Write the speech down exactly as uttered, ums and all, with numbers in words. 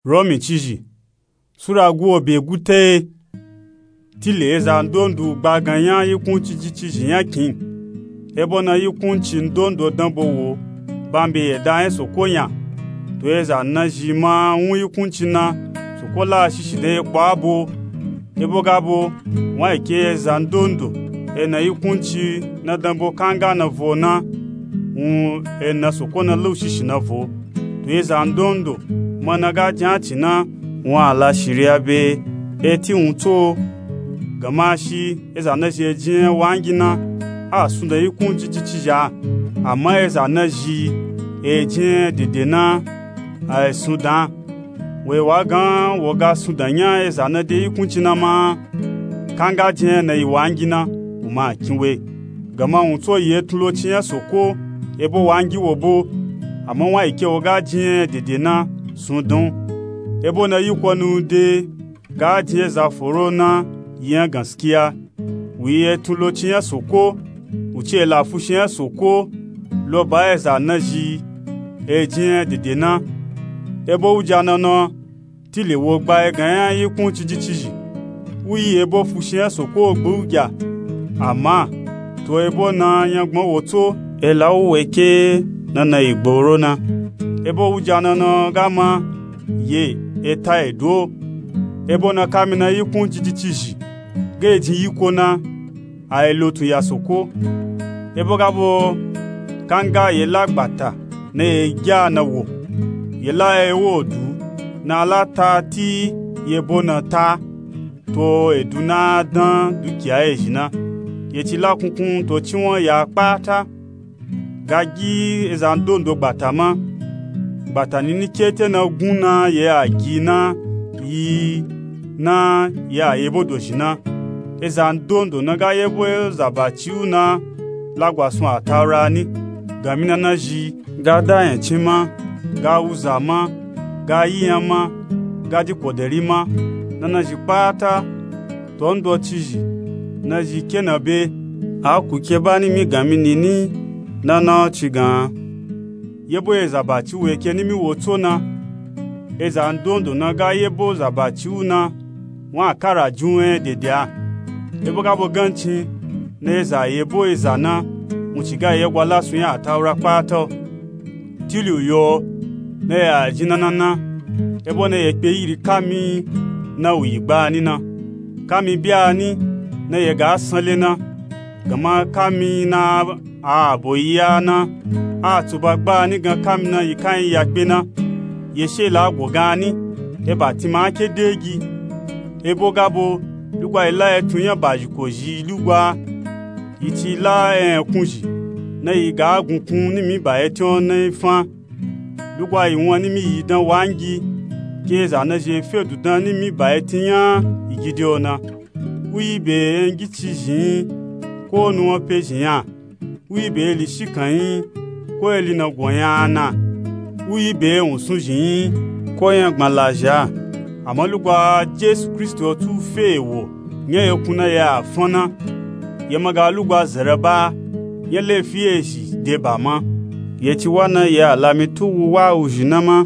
Romi cizhi sura guwo be guteye. Tile eza ndondo gbagan nya yikunci jicizhi nya kin. Ebo na yikunci ndondo danbo wo bambe yeda nya soko nya. To eza nazhi ma wun yikunci na, soko la shishi dan ye kpo abo. Ebo gabo wun ayi ke eza ndondo ena yikunci na danbo kanga na vo na, wun ena soko na laushishi na vo. To eza ndondo ma na ga jin aci na, wun ala shiriya be eti wun tso. Gama shi eza nazhi ejin wangi na, a sundan yikunci jicizhi a. Ama eza nazhi ejin dede na, a sundan. Wo yi wa gan wo ga sundan nya eza na de yikunci na ma, kanga jin na yi wangi na, wun ma kin we. Gama wun tso yi etun loci nya soko ebo wangi wo bo. Ama wun ayi ke wo ga jin dede na, sundan. Ebo na yiko nu de ga jin eza foro na, yi nya gaskiya. Wun yi etun loci nya soko, wun ci ela fushi nya soko lo ba eza nazhi ejin dede na. Ebo wuja na na, tile wo gba egan nya yikunci jicizhi, wu yi ebo fushi nya soko gbe wuja. Ama to ebo na nyangban wo tso, ela wu we ke na na yi gboro na. Ebo wuja na na ga ma ye eta edo. Ebo na kami na yikunci jicizhi ga ejin yiko na, a yi lotun ya soko. Ebo gabo kanga ye la gbata na ye gya na wo, ye la ewo edu na ala ta ti ye bo na ta. To edu na dan dukiya ezhi na, ye ci la kunkun to ciwan ya kpata. Ga gi eza ndondo gbata ma. Gbata nini kete na gun na ye a gi na, yi na ye a yebo dozhi na. Eza ndondo na ga yebo zabaci wu na, lagwasun ataura ni. Gami na nazhi ga da yancin ma, ga wuza ma, ga yi nya ma, ga di kodari ma, na nazhi kpata. To ndo cizhi nazhi ke na be, a ku ke ba nimi gami nini na na ci gan. Yebo ye zabaci wu ye ke nimi wo tso na. Eza ndondo na ga yebo zabaci wu na, wun a kara jin wun nya dede a. Ebo gabo gancin na eza yebo eza na, wun ci ga ye gwa lasun nya ataura kpata. Tili wu yo na ye a jin na na na, ebo na ye kpe yiri kami na wu yi gba ni na. Kami bya ni na ye ga sanle na. Gama kami na a abo yi ya na, a tsuba gba ni gan kami na yi kan yi ya kpe na. Ye she la go gan ni, eba tin ma ke degi. Ebo gabo lugwa yi la etun nya bazhi kozhi lugwa. Yi ci la ekunzhi na yi ga gunkun nimi ba etin o na yi fan. Lugwa yi wan nimi yi dan wangi, ke eza nazhi fe du dan nimi ba etin nya yi gidi o na. Wu yi be engi cizhi yin, ko nuwan pezhi nya. Wu yi be eli shikan yin, ko eli na go nya na. Wu yi be ewunsun zhi yin, ko nya gban lazhi a. Ama lugwa Jesu Kristi o tsu fe ewo nya ye kun na ye a fan na. Ye ma ga lugwa zara ba nya lefi ezhi de ba ma. Ye ci wa na ye a lami tu wu wa wuzhi na ma.